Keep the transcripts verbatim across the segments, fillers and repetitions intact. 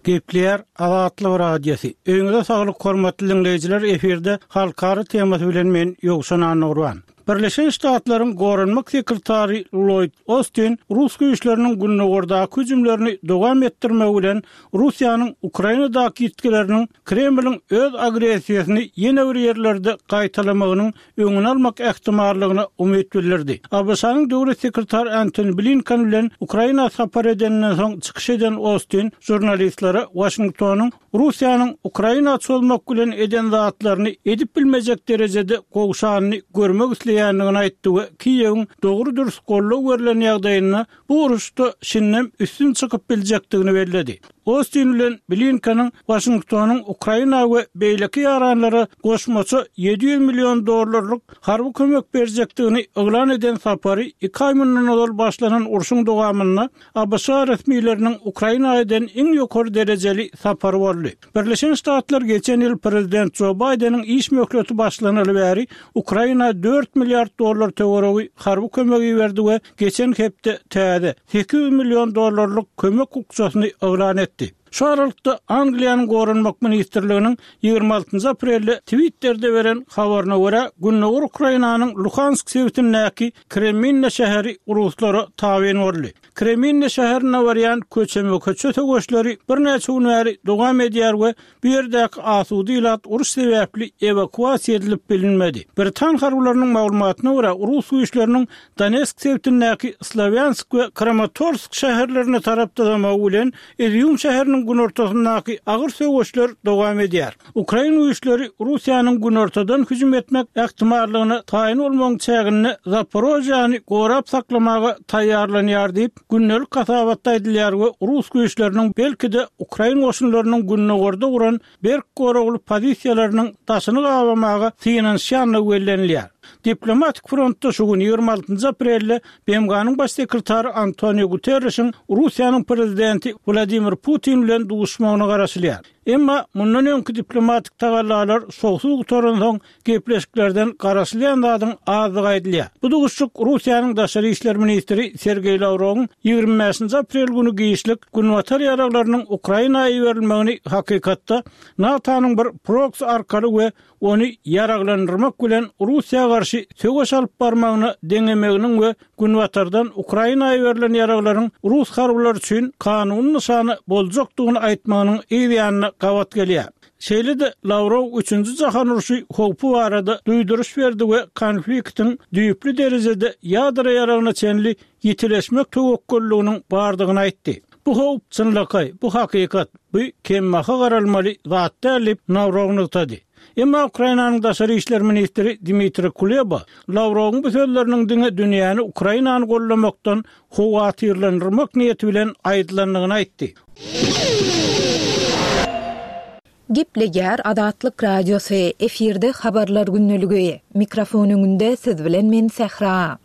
Gepleýär Azatlyk Radiosy. Öýüňize saglyk hormatly dinleýjiler, efirde halkara temasy bilen men Ýowşan Annagurban. Birleşen Ştatlaryň Goranmak sekretary Lloyd Austin Rus güýçleriniň gündogardaky hüjümlerini dowam etdirmegi bilen Russiýanyň Ukrainadaky ýitgileriniň Kremliň öz agressiýasyny ýene bir ýerlerde gaýtalamagynyň öňüni almak ähtimallygyna umyt bildirdi. ABŞ-nyň döwlet sekretary Antony Blinken bilen Ukraina sapar edeninden soň çykyş eden Austin žurnalistlere Washingtonyň Russiýanyň Ukraina çozmak bilen eden zatlaryny edip bilmejek derejede gowşanyny görmek isleýändigini aýtdy we Kiýewiň dogry dürs goldaw berlen ýagdaýynda bu uruşda şindem üstün çykyp biljekdigini belledi. Austin bilen Blinkeniň Washingtonyň Ukraina we beýleki ýaranlara goşmaça ýedi ýüz million dollarlyk harby kömek berjekdigini yglan eden sapary iki aý mundan ozal başlanan urşuň dowamynda ABŞ resmileriniň Ukraina eden iň ýokary derejeli sapary boldy. Birleşen Ştatlar geçen ýyl prezident Jo Baýdeniň iş möhleti başlanaly bäri Ukraina dört milliard dollar töweregi harby kömegi berdi we geçen hepde täze sekiz ýüz million dollarlyk kömek bukjasyny yglan etdi. Şu aralykda Angliýanyň Goranmak ministrliginiň ýigrimi altynjy aprelde Twitterde beren habaryna görä, Gündogar Ukrainanyň Luhansk sebitindäki Kreminna şäheri ruslara tabyn boldy. Kreminna şäherine barýan köçeme-köçe söweşleri birnäçe gün bäri dowam edýär we bu ýerdäki asuda ilat uruş sebäpli ewakuasiýa edilip bilinmedi. Britan harbylarynyň maglumatyna görä, rus güýçleriniň Donetsk sebitindäki Slawýansk we Kramatorsk şäherlerine tarap dyzamagy bilen Izýum şäheriniň günortasyndaky agyr söweşler dowam edýär. Ukrain güýçleri Russiýanyň günortadan hüjüm etmek ähtimallygyna taýyn bolmagyň çäginde Zaporožýany gorap saklamaga taýýarlanýar diýip, gündelik hasabatda aýdylýar we rus güýçleriniň belki-de ukrain goşunlarynyň gündogarda guran berk goragly pozisiýalarynyň daşyny gabamaga synanyşýandygy bellenilýär. Diplomatik frontda şu gün ýigrimi altynjy aprelde B M G-nyň baş sekretary Antonio Guterrişiň Russiýanyň prezidenti Wladimir Putin bilen duşmagyna garaşylýar. Emma mundan öňki diplomatik tagallalar şowsuz gutaransoň gepleşiklerden garaşylýan zadyň azdygy aýdylýar. Bu duşuşyk Russiýanyň daşary işler ministri Sergeý Lawrowyň ýigrimi bäşinji aprel güni giçlik Günbatar ýaraglarynyň Ukraina iberilmegini hakykatda NATO-nyň bir proksi arkaly we ony ýaraglandyrmak bilen Russiýa garşy söweş alyp barmagyna deňemeginiň we Günbatardan Ukraina iberilen ýaraglaryň rus harbylary üçin kanuny nyşany boljakdygyny aýtmagynyň yz ýanyna gabat gelýär. Şeýle-de Lawrow üçünji jahan urşy howpy barada duýduryş berdi we konfliktiň düýpli derejede ýadro ýaragyna çenli ýitileşmek töwekgelliginiň bardygyny aýtdy. Bu howp çynlakaý, bu hakykat, bu kemmaha garalmaly zat däl diýip Lawrow nygtady. Emma Ukrainanyň daşary işler ministri Dmitri Kuleba Lawrowyň bu sözleriniň diňe dünýäni Ukrainany gollamakdan howatyrlandyrmak niýeti bilen aýdylandygyny aýtdy. Gepleýär Azatlyk Radiosy, efirde habarlar gündeligi. Mikrofon öňünde siz bilen men Sähra.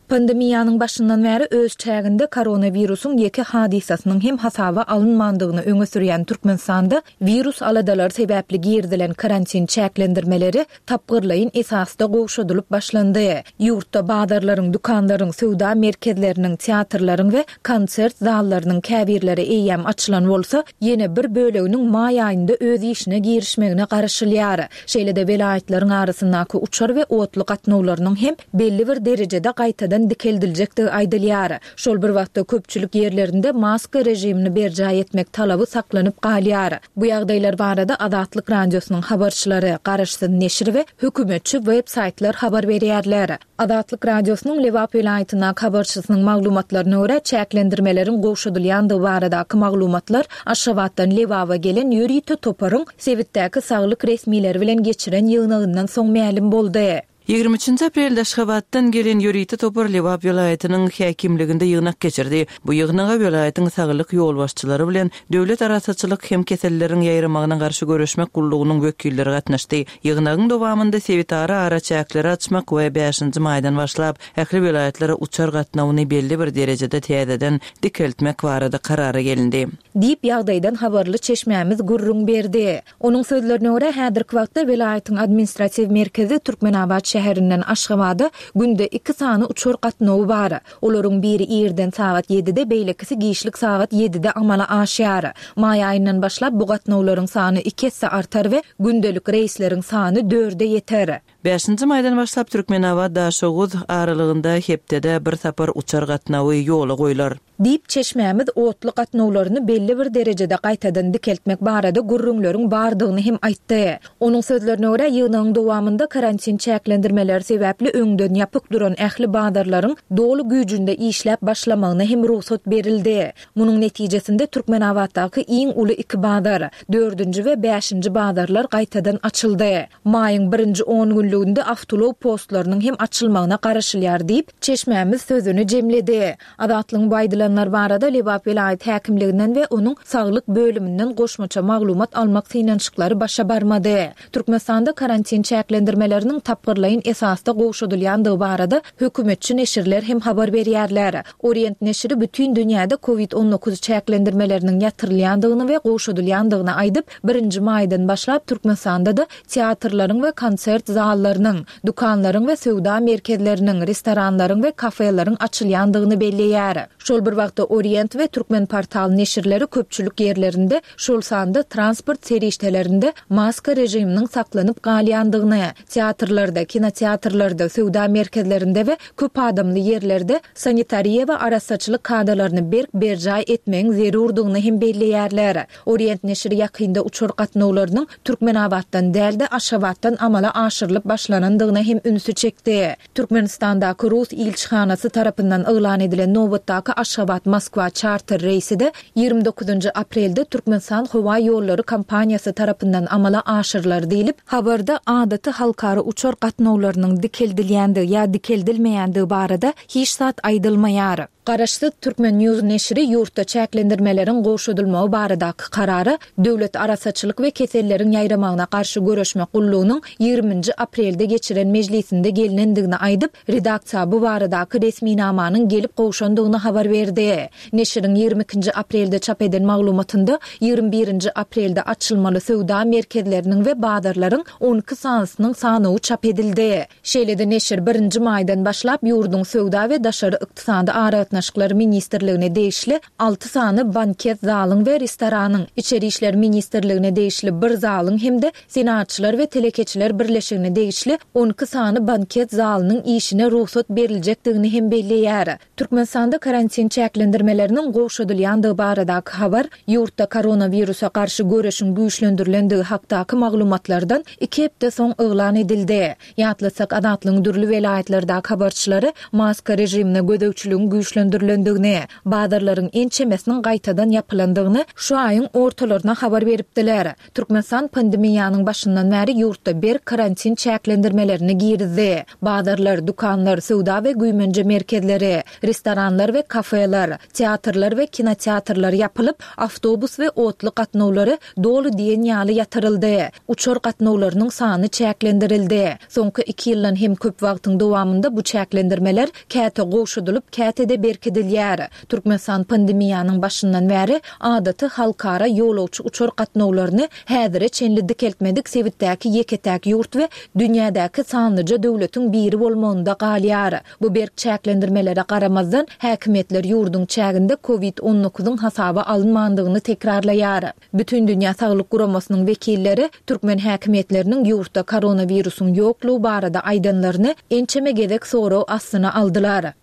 Pandemiýanyň başyndan bäri öz çäginde koronawirusyň ýeke hadysasynyň hem hasaba alynmandygyny öňe sürýän Türkmenistanda wirus aladalary sebäpli girizilen karantin çäklendirmeleri tapgyrlaýyn esasda gowşadylyp başlandy. Ýurtda bazarlaryň, dükanlaryň, söwda merkezleriniň, teatrlaryň we konsert zallarynyň käbirleri eýýäm açylan bolsa, ýene bir böleginiň maý aýynda öz işine girişmegine garaşylýar. Şeýle-de welaýatlaryň arasyndaky uçar we otly gatnawlarynyň hem belli bir derejede gaýtadan dikeldiljekdigi aýdylýar. Şol bir wagtda köpçülik ýerlerinde maska rejimini berjaý etmek talaby saklanyp galýar. Bu ýagdaýlar barada Azatlyk Radiosynyň habarçylary, garaşsyz neşir we hökümetçi web-saýtlar habar berýärler. Azatlyk Radiosynyň Lebap welaýatyndaky habarçysynyň maglumatlaryna görä, çäklendirmeleriň gowşadylýandygy baradaky maglumatlar Aşgabatdan Lebaba gelen ýörite toparyň sebitdäki saglyk resmileri bilen geçiren ýygnagyndan soň mälim boldy. Ýigrimi üçünji aprelde Aşgabatdan gelen ýörite topar Lebap welaýatynyň häkimliginde ýygnak geçirdi. Bu ýygnaga welaýatyň saglyk ýolbaşçylary bilen döwlet arassaçylyk hem keselleriň ýaýramagyna garşy göreşmek gullugynyň wekilleri gatnaşdy. Ýygnagyň dowamynda sebitara araçäkleri açmak we bäşinji maýdan başlap ähli welaýatlara uçar gatnawyny belli bir derejede täzeden dikeltmek barada karara gelindi. Diýip, ýagdaýdan habarly çeşmämiz gürrüň berdi. Onuň sözlerine görä, häzirki wagtda welaýatyň administratiw merkezi Türkmenabat şäherinden Aşgabada günde iki sany uçar gatnawy bar. Olaryň biri irden sagat ýedide, beýlekisi giçlik sagat ýedide amala aşýar. Maý aýyndan başlap bu gatnawlaryň sany iki esse artar we gündelik reýsleriň sany dörde ýeter. Bäşinji maýdan başlap Türkmenabat-Daşoguz aralygynda hepdede bir sapar uçar gatnawy ýola goýlar. Diýip, çeşmämiz otly gatnawlaryny belli bir derejede gaýtadan dikeltmek barada gürrüňleriň bardygyny hem aýtdy. Onuň sözlerine görä, ýygnagyň dowamynda karantin çäklendirmeleri sebäpli öňden ýapyk duran ähli bazarlaryň doly güýjünde işläp başlamagyna hem rugsat berildi. Munuň netijesinde Türkmenabatdaky iň uly iki bazar, dördünji we bäşinji bazarlar gaýtadan açyldy. Maýyň birinji on günlüginde awtoulag postlarynyň hem açylmagyna garaşylýar diýip, çeşmämiz sözüni jemledi. Azatlygyň bu aýdylanlar barada Lebap welaýat häkimliginden we onuň saglyk bölüminden goşmaça maglumat almak synanyşyklary başa barmady. Türkmenistanda karantin çäklendirmeleriniň tapgyrlaýyn esasda gowşadylýandygy barada hökümetçi neşirler hem habar berýärler. Orient neşiri bütin dünýäde covid on dokuz çäklendirmeleriniň ýatyrylýandygyny we gowşadylýandygyny aýdyp, birinji maýdan başlap Türkmenistanda-da teatrlaryň we konsert zallarynyň, dükanlaryň we söwda merkezleriniň, restoranlaryň we kafeleriň açylýandygyny belleýär. Şol bir wagtda Orient we Türkmenportal neşirleri köpçülik ýerlerinde, şol sanda transport serişdelerinde maska režiminiň saklanyp galýandygyny, teatrlarda, kinoteatrlarda, söwda merkezlerinde we köp adamly ýerlerde sanitariýa we arassaçylyk kadalaryny berk berjaý etmegiň zerurdygyny hem belleýärler. Orient neşiri ýakynda uçar gatnawlarynyň Türkmenabatdan däl-de, Aşgabatdan amala aşyrylyp başlanandygyna hem ünsi çekdi. Türkmenistandaky rus ilçihanasy tarapyndan yglan edilen nobatdaky Aşgabat-Moskwa çarter reýsi-de ýigrimi dokuzynjy aprelde Türkmenistan howa ýollary kompaniýasy tarapyndan amala aşyrylar diýlip, habarda adaty halkara uçar gatnawlarynyň dikeldilýändigi ýa dikeldilmeýändigi barada hiç zat aýdylmaýar. Garaşsyz Türkmen News neşiri ýurtda çäklendirmeleriň gowşadylmagy baradaky karara Döwlet arassaçylyk we keselleriň ýaýramagyna garşy göreşmek gullugynyň ýigriminji aprelde geçiren mejlisinde gelnendigini aýdyp, redaksiýa bu baradaky resminamanyň gelip gowşandygyny habar berdi. Neşiriň ýigrimi ikinji aprelde çap eden maglumatynda ýigrimi birinji aprelde açylmaly söwda merkezleriniň we bazarlaryň on iki sanysynyň sanawy çap edildi. Şeýle-de neşir birinji maýdan başlap ýurduň Söwda we daşary ykdysady aragatnaşyklar ministrligine degişli alty sany banket zalyň we restoranyň, Içeri işler ministrligine degişli bir zalyň hem-de Senagatçylar we telekeçiler birleşigine degişli on iki sany banket zalynyň işine rugsat beriljekdigini hem belleýär. Türkmenistanda karantin çäklendirmeleriniň gowşadylýandygy baradaky habar ýurtda koronawirusa garşy göreşiň güýçlendirilendigi hakdaky maglumatlardan iki hepde soň yglan edildi. Ýatlatsak, Azatlygyň dürli welaýatlardaky habarçylary maska režimine gözegçiligiň güýçlendirilendigini, bazarlaryň ençemesiniň gaýtadan ýapylandygyny şu aýyň ortalaryna habar beripdiler. Türkmenistan pandemiýanyň başyndan bäri ýurtda berk karantin çäklendirmelerini girizdi. Bazarlar, dükanlar, söwda we güýmenje merkezleri, restoranlar we kafeler, teatrlar we kinoteatrlar ýapylyp, awtobus we otly gatnawlary doly diýen ýaly ýatyryldy. Uçar gatnawlarynyň sany çäklendirildi. Soňky iki ýyldan hem köp wagtyň dowamynda bu çäklendirmeler käte gowşadylyp, käte-de berkidilýär. Türkmenistan pandemiýanyň başyndan bäri adaty halkara ýolagçy uçar gatnawlaryny häzire çenli dikeltmedik sebitdäki ýeke-täk ýurt we dünýädäki sanlyja döwletiň biri bolmagynda galýar. Bu berk çäklendirmelere garamazdan, häkimiýetler ýurduň çäginde covid on dokuzyň hasaba alynmandygyny tekrarlaýar. Bütindünýä Saglyk Guramasynyň wekilleri türkmen häkimiýetleriniň ýurtda koronawirusyň ýoklugy barada aýdanlaryny ençeme gezek sorag astyna aldylar.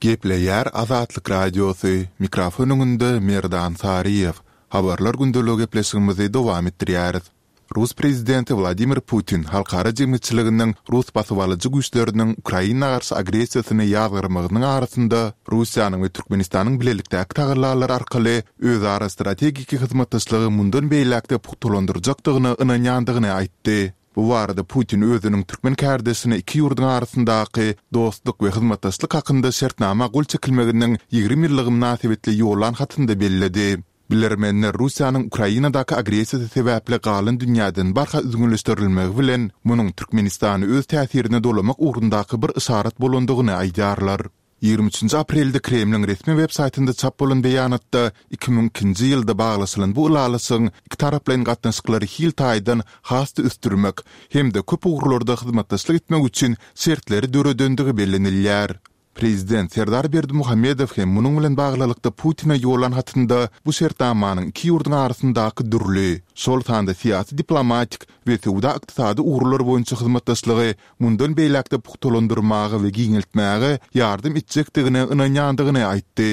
Gepleýär Azatlyk Radiosy, mikrofon öňünde Merdan Saryýew. Habarlar gündeligi gepleşigimizi dowam etdirýäris. Rus prezidenti Wladimir Putin halkara jemgyýetçiliginiň rus basybalyjy güýçleriniň Ukraina garşy agressiýasyny ýazgarmagynyň arasynda Russiýanyň we Türkmenistanyň bilelikdäki tagallalary arkaly özara strategiki hyzmatdaşlygy mundan beýläk-de pugtalandyrjakdygyna ynanýandygyny aýtdy. Bu barada Putin özüniň türkmen kärdeşine iki ýurduň arasyndaky dostluk we hyzmatdaşlyk hakynda şertnama gol çekilmeginiň ýigrimi ýyllygy mynasybetli ýollan hatynda belledi. Bilermenler Russiýanyň Ukrainadaky agressiýasy sebäpli galan dünýäden barha üzňeleşdirilmegi bilen, munuň Türkmenistany öz täsirine dolamak ugrundaky bir yşarat bolandygyny aýdýarlar. Ýigrimi üçünji aprelde Kremliň resmi web saýtynda çap bolan beýanatda iki müň ikinji ýylda baglaşylan bu ylalaşygyň ikitaraplaýyn gatnaşyklary hil taýdan has-da ösdürmek hem-de köp ugurlarda hyzmatdaşlyk etmek üçin şertleri döredendigi bellenilýär. Prezident Serdar Berdimuhamedow hem munuň bilen baglylykda Putine ýollan hatynda bu şertnamanyň iki ýurduň arasyndaky dürli, şol sanda syýasy-diplomatik we söwda-ykdysady ugurlar boýunça hyzmatdaşlygy mundan beýläk-de pugtalandyrmaga we giňeltmäge ýardam etjekdigine ynanýandygyny aýtdy.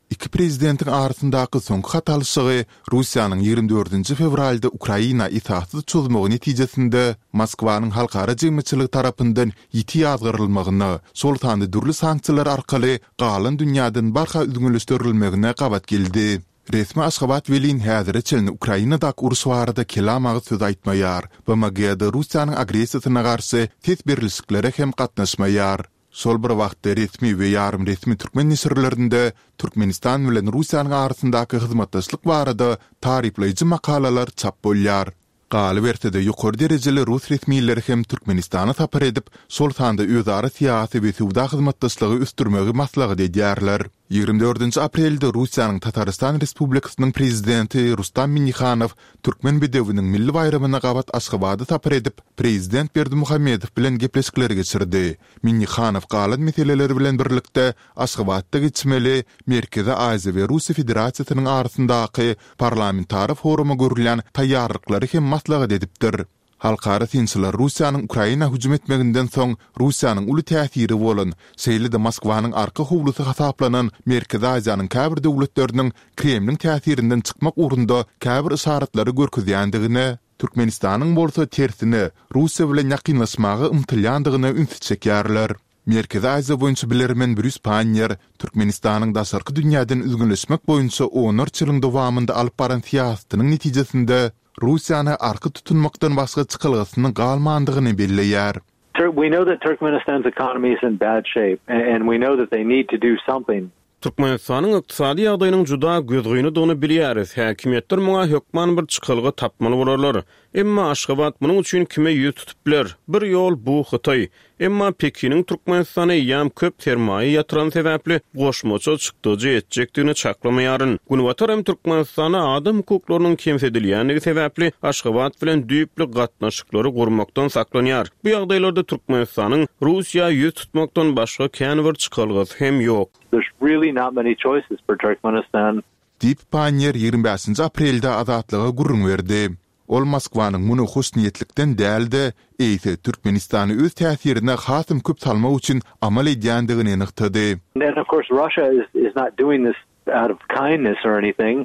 Iki prezidentiň arasyndaky soňky hat alyşygy Russiýanyň ýigrimi dördünji fewralda Ukraina esassyz çozmagy netijesinde Moskwanyň halkara jemgyýetçiligi tarapyndan ýiti ýazgarylmagyna, şol sanda dürli sanksiýalar arkaly galan dünýäden barha üzňeleşdirilmegine gabat geldi. Resmi Aşgabat welin häzire çenli Ukrainadaky uruş barada kelam agyz söz aýtmaýar, BMG-de Russiýanyň agressiýasyna garşy ses berlişiklere hem gatnaşmaýar. Şol bir wagtda resmi we ýarym resmi türkmen neşirlerinde Türkmenistan bilen Russiýanyň arasyndaky hyzmatdaşlyk barada taryplaýjy makalalar çap bolýar. Galyberse-de, ýokary derejeli rus resmileri hem Türkmenistana sapar edip, şol sanda özara syýasy we söwda hyzmatdaşlygy ösdürmegi maslahat edýärler. Ýigrimi dördünji aprelde Russiýanyň Tatarystan Respublikasynyň Prezidenti Rustam Minnihanow Türkmen bedewiniň milli baýramyna gabat Aşgabada sapar edip, Prezident Berdimuhamedow bilen gepleşikleri geçirdi. Minnihanow galan meseleler bilen birlikde Aşgabatda geçmeli Merkezi Aziýa we Russiýa Federasiýasynyň arasyndaky parlamentara foruma görülýän taýýarlyklary hem maslahat edipdir. Halkara synçylar Russiýanyň Ukraina hüjüm etmeginden soň Russiýanyň uly täsiri bolan, şeýle-de Moskwanyň arka howlusy hasaplanan Merkezi Aziýanyň käbir döwletleriniň Kremliň täsirinden çykmak ugrunda käbir yşaratlary görkezýändigine, Türkmenistanyň bolsa tersine, Russiýa bilen ýakynlaşmaga ymtylýandygyna ünsi çekýärler. Merkezi Aziýa boýunça bilermen Brýus Panniýer Türkmenistanyň daşarky dünýäden üzňeleşmek boýunça onlarça ýylyň dowamynda alyp baran syýasatynyň netijesinde Russiýany arka tutunmakdan başga çykalgasynyň galmandygyny belleýär. We know that Turkmenistan's economy is in bad shape and we know that they need to do something. Türkmenistanyň ykdysady ýagdaýynyň juda gözgynydygyny bilýäris. Häkimiýetler muňa hökman bir çykalga tapmaly bolarlar. Emma Aşgabat munuň üçin kime ýüz tutup biler? Bir ýol bu Hytaý. Emma Pekiniň Türkmenistana eýýäm köp sermaýa ýatyrany sebäpli goşmaça çykdajy etjekdigini çaklamaýaryn. Günbatar hem Türkmenistanda adam hukuklarynyň kemsidilýändigi sebäpli Aşgabat bilen düýpli gatnaşyklary gurmakdan saklanýar. Bu ýagdaýlarda Türkmenistanyň Russiýa ýüz tutmakdan başga kän bir çykalgasy hem ýok. There's really not many choices for Turkmenistan. Diýip, Panniýer ýigrimi bäşinji aprelde Azatlyga gürrüň berdi. Ol Moskwanyň muny hoşniýetlikden däl-de, eýse Türkmenistany öz täsirine hasam köp salmak üçin amal edýändigini nygtady. And of course Russia is is not doing this out of kindness or anything.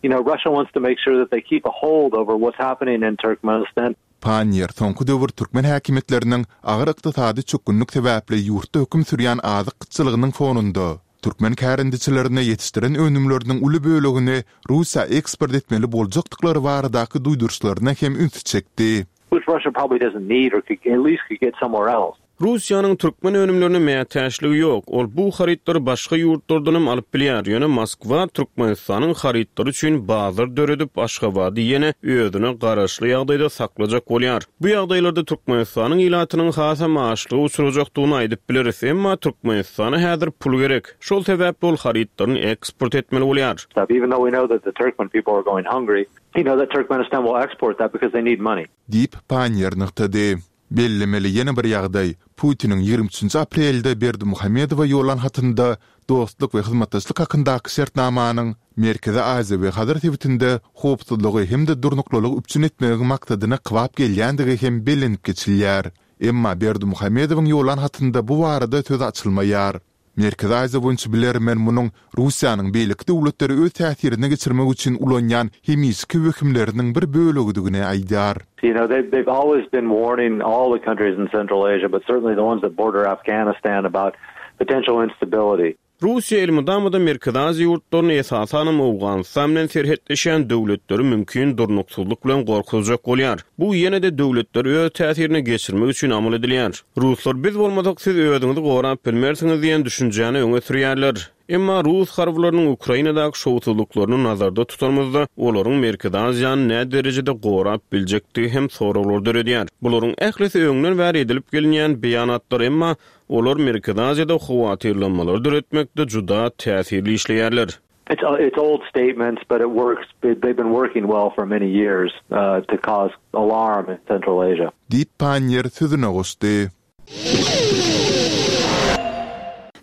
You know, Russia wants to make sure that they keep a hold over what's happening in Turkmenistan. Panniýer soňky döwür türkmen häkimiýetleriniň agyr ykdysady çökgünlik sebäpli ýurtda höküm sürýän azyk gytçylygynyň fonunda, türkmen kärendeçilerine ýetişdiren önümleriniň uly bölegini Russiýa eksport etmeli boljakdyklary baradaky duýduryşlaryna hem ünsi çekdi. Which Russia probably doesn't need or could at least could get somewhere else. Russiýanyň türkmen önümlerine mätäçligi ýok. Ol bu harytlary başga ýurtlardanam alyp bilýär. Ýöne Moskwa Türkmenistanyň harytlary üçin bazar döredip, Aşgabady ýene özüne garaşly ýagdaýda saklajak bolýar. Bu ýagdaýlarda Türkmenistanyň ilatynyň hasam açlyga uçrajakdygyny aýdyp bileris. Emma Türkmenistana häzir pul gerek. Şol sebäpli ol harytlaryny eksport etmeli bolýar. Even though we know that the Turkmen people are going hungry, you know that Turkmenistan will export that because they need money. Diýip, Panniýer nygtady. Bellemeli ýene bir ýagdaý, Putiniň ýigrimi üçünji aprelde Berdimuhamedowa ýollan hatynda dostluk we hyzmatdaşlyk hakyndaky şertnamanyň Merkezi Aziýa we Hazar sebitinde howpsuzlygy hem-de durnuklylygy üpjün etmegiň maksadyna kybap gelýändigi hem bellenip geçilýär. Emma Berdimuhamedowyň ýollan hatynda bu barada söz açylmaýar. Merkezi Aziýa boýunça bilermen munuň Russiýanyň beýleki döwletleri öz täsirine geçirmek üçin ulanýan hemişeki wehimleriniň bir bölegidigini aýdýar. You know, they've, they've always been warning all the countries in Central Asia, but certainly the ones that border Afghanistan about potential instability. Russiýa elmydama-da Merkezi Aziýa ýurtlaryny, esasanam Owganystan bilen serhetleşýän döwletleri mümkin durnuksyzlyk bilen gorkuzjak bolýar. Bu ýene-de döwletleri öz täsirine geçirmek üçin amal edilýär. Ruslar biz bolmasak siz özüňizi gorap bilmersiňiz diýen düşünjäni öňe sürýärler. Emma rus harbylarynyň Ukrainadaky şowsuzlyklaryny nazarda tutanymyzda, olaryň Merkezi Aziýany näderejede gorap biljekdigi hem soraglar döredýär. Bularyň ählisi öňden bäri edilip gelinýän beýanatlar, emma olar Merkezi Aziýada howatyrlanmalary döretmekde juda täsirli işleýärler. It's it's old statements, but it works. They've been working well for many years uh, to cause alarm in Central Asia. Diýip, Panniýer sözüne goşdy.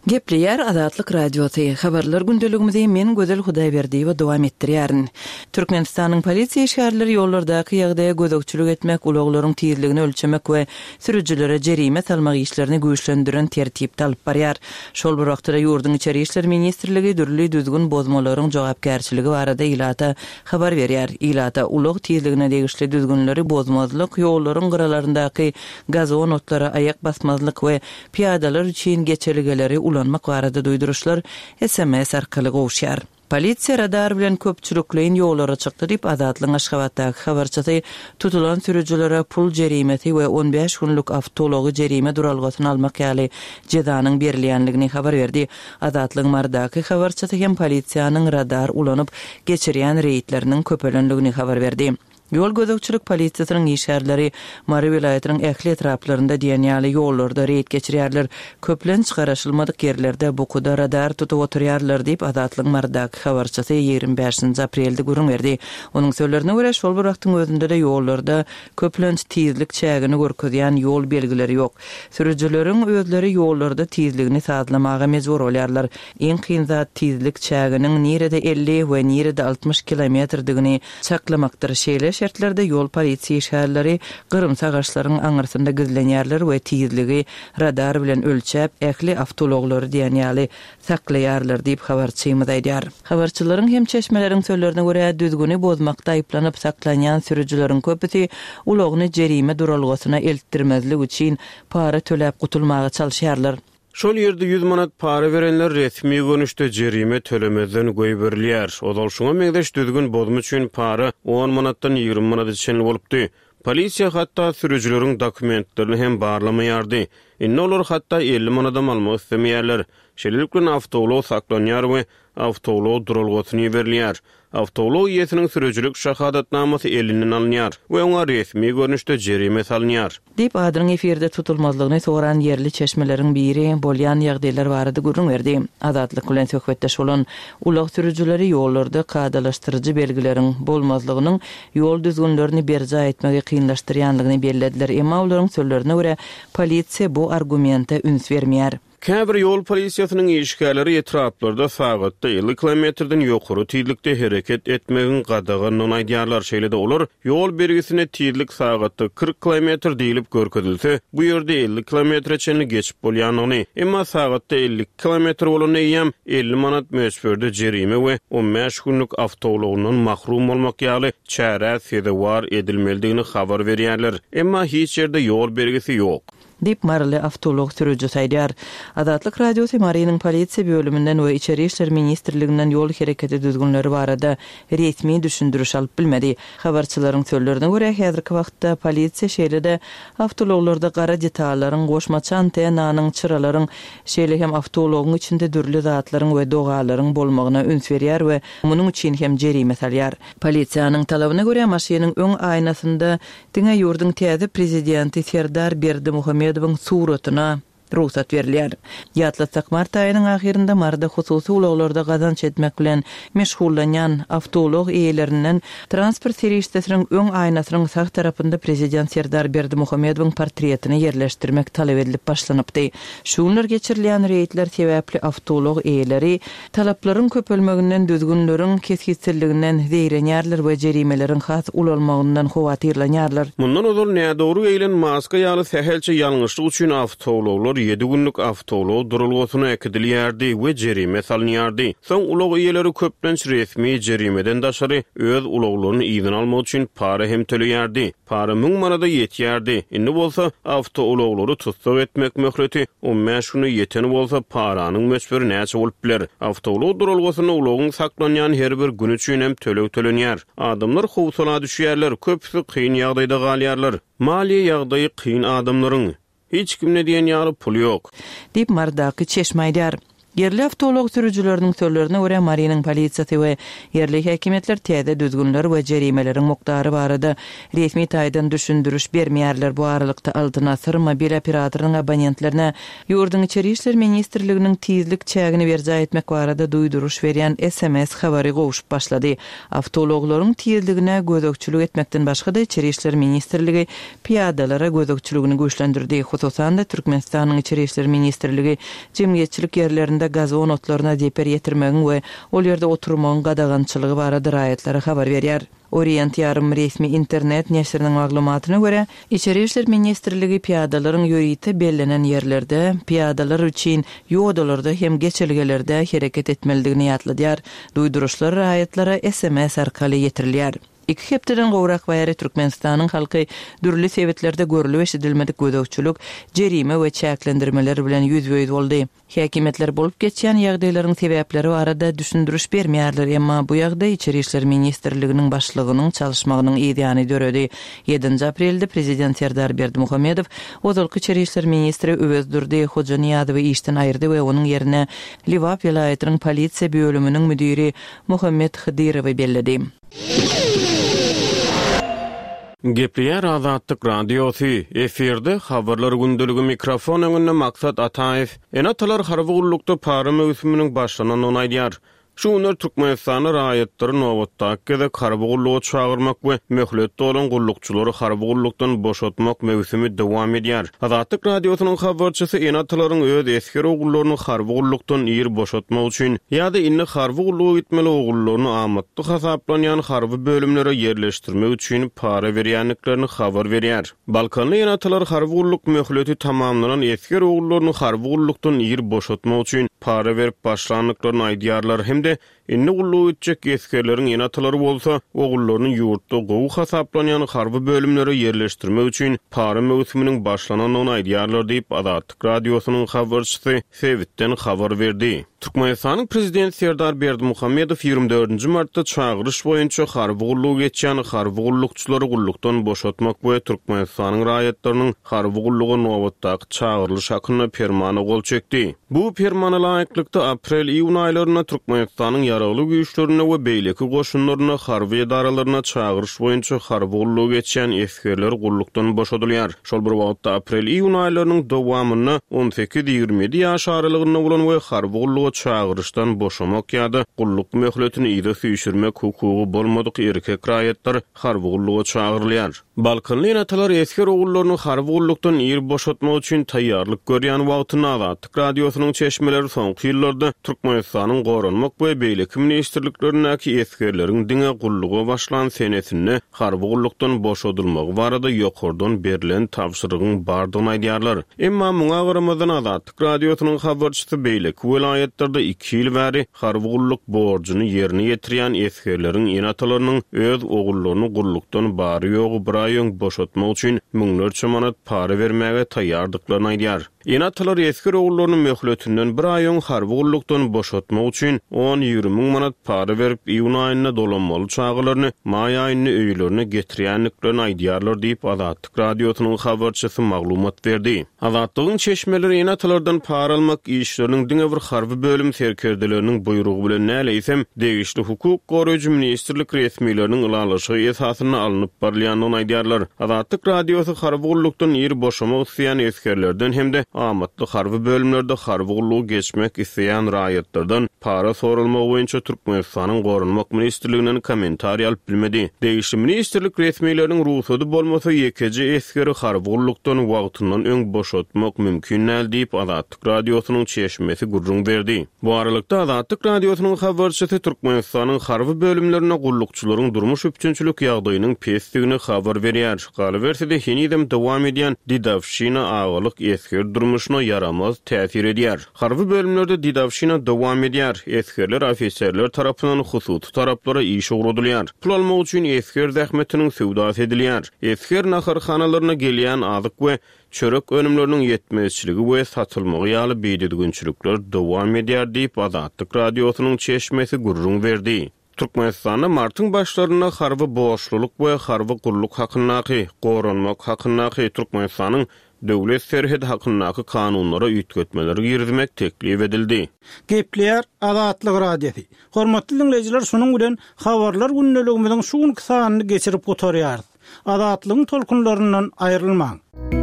Gepleýär Azatlyk Radiosy. Habarlar gündeligimizi men Gözel Hudaýberdiýewa dowam etdirýärin. Türkmenistanyň polisiýa işgärleri ýollardaky ýagdaýa gözegçilik etmek, ulaglaryň tizligini ölçemek we sürüjilere jerime salmak işlerini güýçlendiren tertipde alyp barýar. Şol bir wagtda ýurduň Içeri işler ministrligi dürli düzgün bozmalaryň jogapkärçiligi barada ilata habar berýär. Ilata ulag tizligine degişli düzgünleri bozmazlyk, ýollaryň gyralaryndaky gazon otlara aýak basmazlyk we piýadalar üçin geçelgeleri ulanmak barada duýduryşlar S M S arkaly gowuşýar. Polisiýa radar bilen köpçülikleýin ýollara çykdy diýip, Azatlygyň Aşgabatdaky habarçysy tutulan sürüjilere pul jerimesi we on bäş günlük awtoulagy jerime duralgasyna almak ýaly jezanyň berilýänligini habar berdi. Azatlygyň Marydaky habarçysy hem polisiýanyň radar ulanyp geçirýän reýdleriniň köpelenligini habar berdi. Ýol gözegçilik polisiýasynyň işgärleri Mary welaýatynyň ähli etraplarynda diýen ýaly ýollarda reýd geçirýärler. Köplenç garaşylmadyk ýerlerde bukuda radar tutup oturýarlar diýip, Azatlygyň Marydaky habarçysy ýigrimi bäşinji aprelde gürrüň berdi. Onuň sözlerine görä, şol bir wagtyň özünde-de ýollarda köplenç tizlik çägini görkezýän ýol belgileri ýok. Sürüjileriň özleri ýollarda tizligini sazlamaga mejbur bolýarlar. Iň kyn zat tizlik çäginiň nirede elli we nirede altmyş kilometrdigini çaklamakdyr. Şeýle şertlerde ýol polisiýa işgärleri gyrymsy agaçlaryň aňyrsynda gizlenýärler we tizligi radar bilen ölçäp, ähli awtoulaglary diýen ýaly saklaýarlar diýip habarçymyz aýdýar. Habarçylaryň hem çeşmeleriň sözlerine görä, düzgüni bozmakda aýyplanyp saklanýan sürüjileriň köpüsi ulagyny jerime duralgasyna eltdirmezlik üçin para töläp gutulmaga çalyşýarlar. Şol ýerde ýüz manat para berenler resmi görnüşde jerime tölemezden goýberilýär. Ozal şuňa meňzeş düzgün bozma üçin para on manatdan ýigrimi manada çenli bolupdy. Polisiýa hatda sürüjileriň dokumentlerini hem barlamaýardy. Indi olar hatda elli manadam almak islemeýärler. Şeýlelik bilen awtoulag saklanýar we awtoulag duralgasyna iberilýär. Awtoulag eýesiniň sürüjilik şahadatnamasy elinden alynýar we oňa resmi görnüşde jerime salynýar. Diýip, adynyň efirde tutulmazlygyny soran ýerli çeşmeleriň biri bolýan ýagdaýlar barada gürrüň berdi. Azatlyk bilen söhbetdeş bolan ulag sürüjileri ýollarda kadalaşdyryjy belgileriň bolmazlygynyň ýol düzgünlerini berjaý etmegi kynlaşdyrýanlygyny bellediler. Emma olaryň sözlerine görä, polisiýa bu argumente üns bermeýär. Käbir ýol polisiýasynyň işgärleri etraplarda sagatda elli kilometrden ýokary tizlikde hereket etmegiň gadaganlygyny aýdýarlar. Şeýle-de olar ýol belgisine tizlik sagatda kyrk kilometr diýlip görkezilse, bu ýerde elli kilometre çenli geçip bolýanlygyny, emma sagatda elli kilometr bolanda eýýäm elli manat möçberde jerime we on bäş günlük awtoulagyndan mahrum bolmak ýaly çärä sezewar edilmelidigini habar berýärler. Emma hiç ýerde ýol belgisi ýok. Diýip, Maryly awtoulag sürüjisi aýdýar. Azatlyk Radiosy Marynyň polisiýa bölüminden we Içeri işler ministrliginden ýol hereketi düzgünleri barada resmi düşündiriş alyp bilmedi. Habarçylaryň sözlerine görä, häzirki wagtda polisiýa şeýle-de awtoulaglarda gara detallaryň, goşmaça antennanyň, çyralaryň, şeýle hem awtoulagyň içinde dürli zatlaryň we dogalaryň bolmagyna üns berýär we munuň üçin hem jerime salýar. Polisiýanyň talabyna görä, maşynyň öň aýnasynda diňe ýurduň täze prezidenti Serdar Berdimuhamedowyň suratyna rugsat berilýär. Ýatlatsak, mart aýynyň ahyrynda Maryda hususy ulaglarda gazanç etmek bilen meşgullanýan awtoulag eýelerinden transport serişdesiniň öň aýnasynyň sag tarapynda prezident Serdar Berdimuhamedowyň portretini ýerleşdirmek talap edilip başlanypdy. Şu günler geçirilýän reýdler sebäpli awtoulag eýeleri talaplaryň köpelmeginden, düzgünleriň kesgitsizliginden zeýrenýärler we jerimeleriň has ulalmagyndan howatyrlanýarlar. Mundan ozal nädogry geýilen maska ýaly sähelçe ýalňyşlyk üçin awtoulaglar ýedi günlük awtoulag duralgasyna äkidilýärdi we jerime salynýardy. Soň ulag eýeleri köplenç resmi jerimeden daşary öz ulaglaryny yzyna almak üçin para hem töleýärdi. Para müň manada ýetýärdi. Indi bolsa awtoulaglary tussag etmek möhleti on bäş güne ýeten bolsa paranyň möçberi näçe bolup biler? Awtoulag duralgasynda ulagyň saklanýan her bir gün üçin hem töleg tölenýär. Adamlar howsala düşýärler, köpüsi kyn ýagdaýda galýarlar. Maliýe ýagdaýy kyn adamlaryň. Hiç kimde diýen ýaly pul ýok. Diýip, Marydaky çeşme aýdýar. Ýerli awtoulag sürüjileriniň sözlerine görä, Marynyň polisiýasy we ýerli häkimiýetler täze düzgünler we jerimeleriň mukdary barada resmi taýdan düşündiriş bermeýärler. Bu aralykda, Altyn Asyr mobil operatorynyň abonentlerine ýurduň Içeri işler ministrliginiň tizlik çägini berjaý etmek barada duýduryş berýän S M S habary gowşup başlady. Awtoulaglaryň tizligine gözegçilik etmekden başga-da, Içeri işler ministrligi pyýadalara gözegçiligini güýçlendirdi. Hususan-da, Türkmenistanyň Içeri işler ministrligi jemgyýetçilik ýerlerinde gazon otlaryna zeper ýetirmegiň we ol ýerde oturmagyň gadagançylygy barada raýatlara habar berýär. Orient ýarym resmi internet neşiriniň maglumatyna görä, Içeri işler ministrligi pyýadalaryň ýörite bellenen ýerlerde, pyýadalar üçin ýodalarda hem geçelgelerde hereket etmelidigini ýatladýar. Duýduryşlar raýatlara S M S arkaly ýetirilýär. Iki hepdeden gowrak bäri Türkmenistanyň halky dürli sebitlerde görlüp eşidilmedik gözegçilik, jerime we çäklendirmeler bilen ýüzbe-ýüz boldy. Häkimiýetler bolup geçýän ýagdaýlaryň sebäpleri barada düşündiriş bermeýärler, emma bu ýagdaý Içeri işler ministrliginiň başlygynyň çalyşmagynyň yzýany döredi. Ýedinji aprelde prezident Serdar Berdimuhamedow ozalky içeri işler ministri Öwezdurdy Hojanyýazowy işden aýyrdy we onuň ýerine Lebap welaýatynyň polisiýa bölüminiň müdiri Muhammet Hydyrowy belledi. Gepleýär Azatlyk Radiosy, efirde habarlar gündeligi, mikrofon öňünde Maksat Ataýew. Ene-atalar harby gullukda para möwsüminiň başlanandygyny aýdýar. Şu günler Türkmenistanda raýatlary nobatdaky gezek harby gulluga çagyrmak we möhletde bolan gullukçylary harby gullukdan boşatmak möwsümi dowam edýär. Azatlyk Radiosynyň habarçysy ene-atalaryň öz esger ogullaryny harby gullukdan ir boşatmak üçin ýa-da indi harby gulluga gitmeli ogullaryny amatly hasaplanýan harby bölümlere ýerleşdirmek üçin para berýändiklerini habar berýär. Balkanly ene-atalar harby gulluk möhleti tamamlanan esger ogullaryny harby gullukdan ir boşatmak üçin para berip başlandyklaryny aýdýarlar hem-de indi gulluga gitjek esgerleriň ene-atalary bolsa ogullaryny ýurtda gowy hasaplanýan harby bölümlere ýerleşdirmek üçin para möwsüminiň başlanandygyny aýdýarlar diýip, Azatlyk Radiosynyň habarçysy sebitden habar berdi. Türkmenistanyň prezidenti Serdar Berdimuhamedow ýigrimi dördünji martda çagyryş boýunça harby gullugy geçýän harby gullukçylary gullukdan boşatmak we Türkmenistanyň raýatlarynyň harby gulluga nobatdaky çagyrylyş hakynda permana gol çekdi. Bu permana laýyklykda aprel-iýun aýlarynda Türkmenistanyň ýaragly güýçlerinde we beýleki goşunlarynda, harby edaralarynda çagyryş boýunça harby gullugy geçýän esgerler gullukdan boşadylýar. Şol bir wagtda aprel-iýun aýlarynyň dowamynda on sekiz-ýigrimi ýedi ýaş aralygynda bolan we harby gulluga çagyryşdan boşamak ýa-da gulluk möhletini yza süýşürmek hukugy bolmadyk erkek raýatlar harby gulluga çagyrylýar. Balkanly ene-atalar esger ogullaryny harby gullukdan ir boşatmak üçin taýýarlyk görýän wagtynda Azatlyk Radiosynyň çeşmeleri soňky ýyllarda Türkmenistanyň Goranmak we beýleki ministrliklerindäki esgerleriň diňe gulluga başlan senesinde harby gullukdan boşadylmagy barada ýokardan berlen tabşyrygyň bardygyny aýdýarlar. Emma muňa garamazdan Azatlyk Radiosynyň habarçysy beýleki welaýatlarda iki ýyl bäri harby gulluk borjuny ýerine ýetirýän esgerleriň ene-atalarynyň öz ogullaryny gullukdan bary-ýogy bir aý öň boşatmak üçin müňlerçe manat para bermäge taýýardyklaryny aýdýar. Ene-atalar esger ogullaryny möhletinden bir aý öň harby gullukdan boşatmak üçin on-ýigrimi müň manat para berip, iýun aýynda dolanmaly çagalaryny maý aýynda öýlerine getirýändiklerini aýdýarlar diýip, Azatlyk Radiosynyň habarçysy maglumat berdi. Azatlygyň çeşmeleri ene-atalardan para almak işleriniň diňe bir harby bölüm serkerdeleriniň buýrugy bilen däl, eýsem degişli hukuk goraýjy ministrlik resmileriniň ylalaşygy esasynda alnyp barylýandygyny aýdýarlar. Azatlyk Radiosy harby gullukdan ir boşamak isleýän esgerlerden hem-de amatly harby bölümlerde harby gullugy geçmek isleýän raýatlardan para soralmagy boýunça Türkmenistanyň Goranmak ministrliginden kommentariý alyp bilmedi. Degişli ministrlik resmileriniň rugsady bolmasa, ýekeje esgeri harby gullukdan wagtyndan öň boşatmak mümkin däl diýip, Azatlyk Radiosynyň çeşmesi gürrüň berdi. Bu aralykda Azatlyk Radiosynyň habarçysy Türkmenistanyň harby bölümlerinde gullukçylaryň durmuş üpjünçilik ýagdaýynyň pesdigini habar berýär. Galyberse-de, henizem dowam edýän dedowşina agalyk esger durmuşyna ýaramaz täsir edýär. Harby bölümlerde dedowşina dowam edýär. Esgerler ofiserler tarapyndan hususy taraplara işe ugradylýar. Pul almak üçin esger zähmetiniň söwdasy edilýär. Esger naharhanalaryna gelýän azyk we çörek önümleriniň ýetmezçiligi we satylmagy ýaly bidüzgünçilikler dowam edýär diýip, Azatlyk Radiosynyň çeşmesi gürrüň berdi. Türkmenistanda martyň başlarynda harby borçlulyk we harby gulluk hakyndaky, goranmak hakyndaky, Türkmenistanyň Döwlet serhedi hakyndaky kanunlara üýtgetmeler girizmek teklip edildi. Gepleýär Azatlyk Radiosy. Hormatly diňleýjiler, şunuň bilen Habarlar gündeligimiziň şu günki sanyny geçirip gutarýarys. Azatlygyň tolkunlaryndan aýrylmaň.